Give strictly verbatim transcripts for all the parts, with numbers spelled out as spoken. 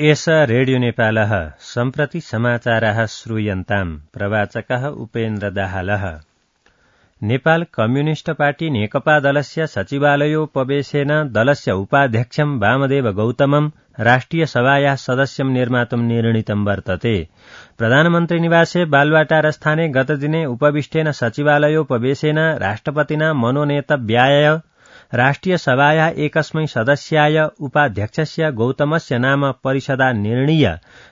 एष रेडियो नेपालः सम्प्रति समाचाराः श्रूयन्ताम्। प्रवाचकः उपेन्द्र दाहालः। नेपाल कम्युनिष्ट पार्टी नेकपा दलस्य सचिवालयोपवेशेन दलस्य उपाध्यक्षं वामदेव गौतमं राष्ट्रिय सभायाः सदस्यं निर्मातुं निर्णीतं वर्तते। प्रधानमन्त्री निवासे बालवाटारस्थाने गतदिने उपविष्टेन सचिवालयोपवेशेन राष्ट्रपतिना मनोनेतव्याय राष्ट्रिय सभायाः एकस्मै सदस्याय उपाध्यक्षस्य गौतमस्य नाम परिषदा निर्णीय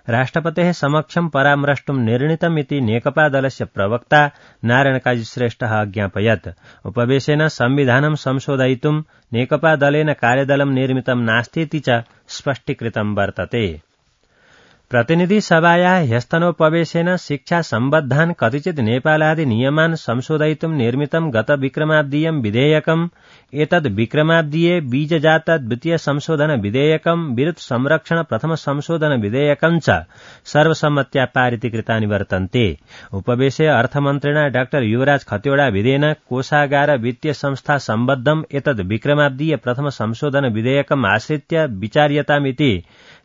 राष्ट्रपतेः समक्षं परामृष्टुं निर्णीतमिति नेकपा दलस्य प्रवक्ता नारायण काजी श्रेष्ठः अज्ञापयत्। उपवेशेन संविधानं संशोधयितुं नेकपा दलेन कार्यदलं निर्मितं नास्तीति च स्पष्टीकृतं वर्तते। प्रतिनिधि सभायाः ह्यस्तनोपवेशेन शिक्षा सम्बद्धान् कतिचित् नेपालादि नियमान् संशोधयितुं निर्मितं गत विक्रमाब्दीयं विधेयकम् एतद् विक्रमाब्दीये बीजजात द्वितीय संशोधन विधेयकम् विरुद्ध संरक्षण प्रथम संशोधन विधेयकम् च सर्वसम्मत्या पारितीकृतानि वर्तन्ते। उपवेशे अर्थमन्त्रिणा डाक्टर युवराज खतिवड़ा विधेयेन कोषागार वित्तीय संस्था सम्बद्धम् एतद् विक्रमाब्दीय प्रथम संशोधन विधेयकम् आश्रित्य विचार्यतामिति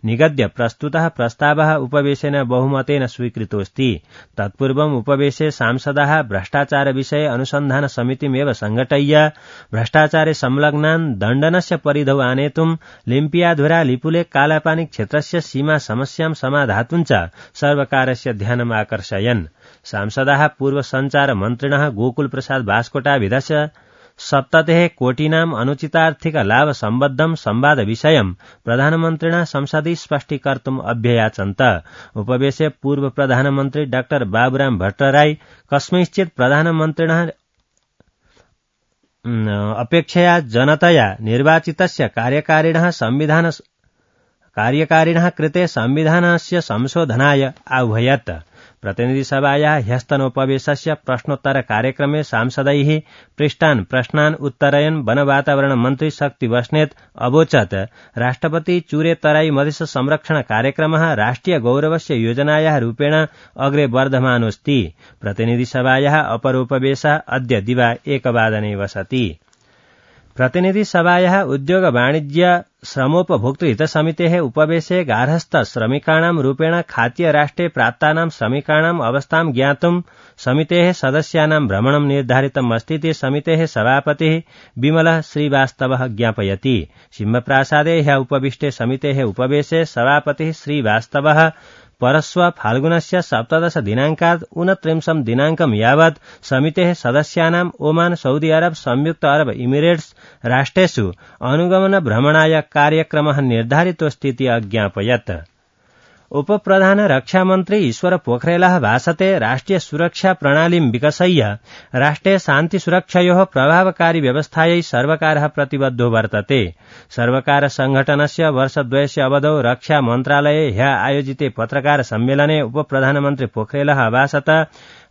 निगद्य प्रस्तुतः प्रस्तावः उपवेशेन बहुमतेन स्वीकृतोऽस्ति। तत्पूर्वम् उपवेशे सांसदाः भ्रष्टाचार विषये अनुसन्धान समितिमेव संघटय्य भ्रष्टाचारे संलग्नान् दण्डनस्य परिधौ आनेतुं लिम्पियाधुरा लिपुलेख कालापानी क्षेत्रस्य सीमा समस्यां समाधातुं च सर्वकारस्य ध्यानम् आकर्षयन्। सांसदाः पूर्व सञ्चार मन्त्रिणः गोकुल प्रसाद बास्कोटाभिधस्य सप्ततिः कोटीनाम् अनुचितार्थिक लाभ सम्बद्धं संवाद विषयं प्रधानमन्त्रिणा संसदि स्पष्टीकर्तुम् अभ्ययाचन्त। उपवेशे पूर्व प्रधानमन्त्री डाक्टर बाबुराम भट्टराई कस्मैश्चित् प्रधानमन्त्रिणः अपेक्षया जनतया निर्वाचितस्य कार्यकारिणः संविधान कार्यकारिणः कृते संविधानस्य संशोधनाय आह्वयत्। प्रतिनिधिसभायाः ह्यस्तनोपवेशस्य प्रश्नोत्तर कार्यक्रमे सांसदैः पृष्टान् प्रश्नान् उत्तरयन् वन वातावरण मन्त्री शक्ति बस्नेत अवोचत् राष्ट्रपति चूरे तराई मधेश संरक्षण कार्यक्रमः राष्ट्रिय गौरवस्य योजनायाः रूपेण अग्रे वर्धमानोऽस्ति। प्रतिनिधिसभायाः अपरोपवेशः अद्य दिवा एकवादने वसति। प्रतिनिधि सभायाः उद्योग वाणिज्य श्रमोपभोक्तृ हित समितेः उपवेशे गार्हस्थ श्रमिकाणां रूपेण खाद्य राष्ट्रे प्राप्तानां श्रमिकाणाम् अवस्थां ज्ञातुं समितेः सदस्यानां भ्रमणं निर्धारितम् अस्तीति समितेः सभापतिः विमलः श्रीवास्तवः ज्ञापयति। सिंहप्रासादे ह्यः उपविष्टे समितेः उपवेशे सभापतिः श्रीवास्तवः परस्व फाल्गुनस्य सप्तदश दिनाङ्कात् ऊनत्रिंशं दिनाङ्कं यावत् समितेः सदस्यानाम् ओमान सऊदी अरब संयुक्त अरब इमिरेट्स राष्ट्रेषु अनुगमन भ्रमणाय कार्यक्रमः निर्धारितोऽस्तीति अज्ञापयत्। उपप्रधान रक्षामन्त्री ईश्वर पोखरेलः भाषते राष्ट्रिय सुरक्षा प्रणालीं विकसय्य राष्ट्रे शान्ति सुरक्षयोः प्रभावकारी व्यवस्थायै सर्वकारः प्रतिबद्धो वर्तते। सर्वकार संघटनस्य वर्षद्वयस्य अवधौ रक्षा मन्त्रालये ह्यः आयोजिते पत्रकार सम्मेलने उपप्रधानमन्त्री पोखरेलः अभाषत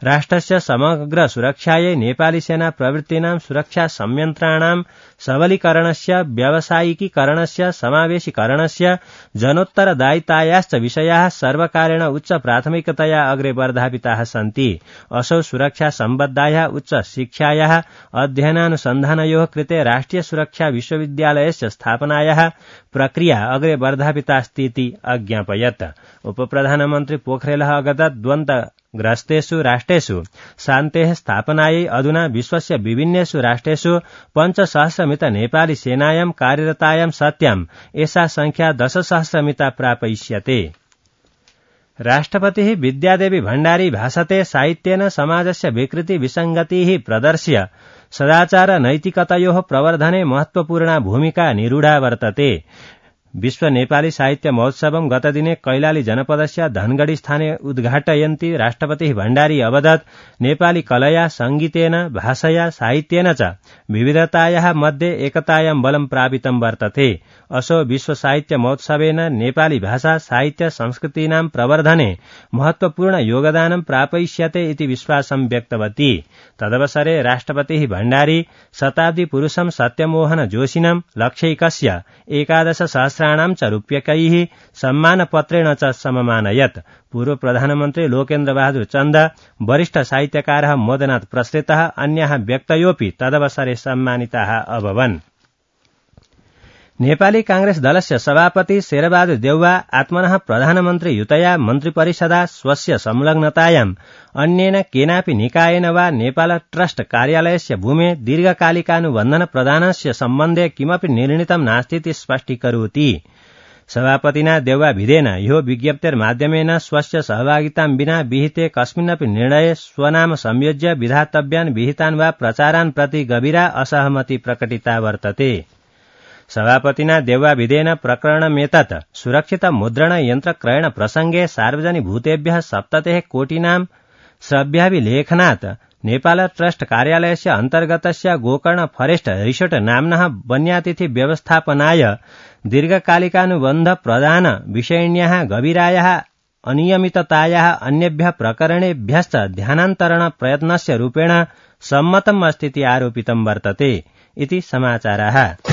राष्ट्रस्य समग्र सुरक्षायै नेपाली सेना प्रवृत्तीनां सुरक्षा संयन्त्राणां सबलीकरणस्य व्यावसायिकीकरणस्य समावेशीकरणस्य जनोत्तरदायितायाश्च विषयाः सर्वकारेण उच्च प्राथमिकतया अग्रे वर्धापिताः सन्ति। असौ सुरक्षा सम्बद्धायाः उच्च शिक्षायाः अध्ययनानुसन्धानयोः कृते राष्ट्रिय सुरक्षा विश्वविद्यालयस्य स्थापनायाः प्रक्रिया अग्रे वर्धापितास्तीति अज्ञापयत्। उपप्रधानमन्त्री पोखरेलः अगदत् द्वन्द्व ग्रस्तेषु राष्ट्रेषु शान्तेः स्थापनायै अधुना विश्वस्य विभिन्नेषु राष्ट्रेषु पञ्चसहस्रमित नेपाली सेनायां कार्यरतायां सत्यां एषा संख्या दशसहस्रमिता प्रापयिष्यते। राष्ट्रपतिः विद्यादेवी भण्डारी भाषते साहित्येन समाजस्य विकृति विसङ्गतिः प्रदर्श्य सदाचार नैतिकतयोः प्रवर्धने महत्वपूर्णा भूमिका निरूढा वर्तते। विश्व नेपाली साहित्य महोत्सवं गतदिने कैलाली जनपदस्य धनगढ़ी स्थाने उद्घाटयन्ती राष्ट्रपतिः भण्डारी अवदत् नेपाली कलया संगीतेन भाषया साहित्येन च विविधतायाः मध्ये एकतायां बलं प्रापितं वर्तते। असौ विश्व साहित्य महोत्सवेन नेपाली भाषा साहित्य संस्कृतीनां प्रवर्धने महत्वपूर्ण योगदानं प्रापयिष्यते इति विश्वासं व्यक्तवती। तदवसरे राष्ट्रपतिः भण्डारी शताब्दी पुरुषं सत्यमोहन जोशिनं लक्ष्यैकस्य एकादश सहस्राणां च रूप्यकैः सम्मानपत्रेण च सममानयत्। पूर्व प्रधानमन्त्री लोकेन्द्र बहादुर चन्द, वरिष्ठ साहित्यकारः मदनाथ प्रसृतः अन्याः व्यक्तयोऽपि तदवसरे सम्मानिताः अभवन्। नेपाली कांग्रेस दलस्य सभापति शेरबहादुर देउवा आत्मनः प्रधानमन्त्रीयुतया मन्त्रिपरिषदा स्वस्य संलग्नतायाम् अन्येन केनापि निकायेन वा नेपाल ट्रस्ट कार्यालयस्य भूमे दीर्घकालिकानुबन्धन प्रदानस्य सम्बन्धे किमपि निर्णीतं नास्तीति स्पष्टीकरोति। सभापतिना देउवाभिधेन यो विज्ञप्तेर्माध्यमेन स्वस्य सहभागितां विना विहिते कस्मिन्नपि निर्णये स्वनाम संयोज्य विधातव्यान् विहितान् वा प्रचारान् प्रति गभीरा असहमति प्रकटिता वर्तते। सभापतिना देउवाभिधेन प्रकरणमेतत् सुरक्षित मुद्रण यन्त्र क्रयण प्रसंगे सार्वजनिकभूतेभ्यः सप्ततिः कोटिनां श्रव्याभिलेखनात् नेपाल ट्रस्ट कार्यालयस्य अन्तर्गतस्य गोकर्ण फरेस्ट रिसोर्ट नाम्नः वन्यातिथि व्यवस्थापनाय दीर्घकालिकानुबन्ध प्रदान विषयिण्याः गभीरायाः अनियमिततायाः अन्येभ्यः प्रकरणेभ्यश्च ध्यानान्तरण प्रयत्नस्य रूपेण सम्मतम् अस्तीति आरोपितं वर्तते इति समाचाराः।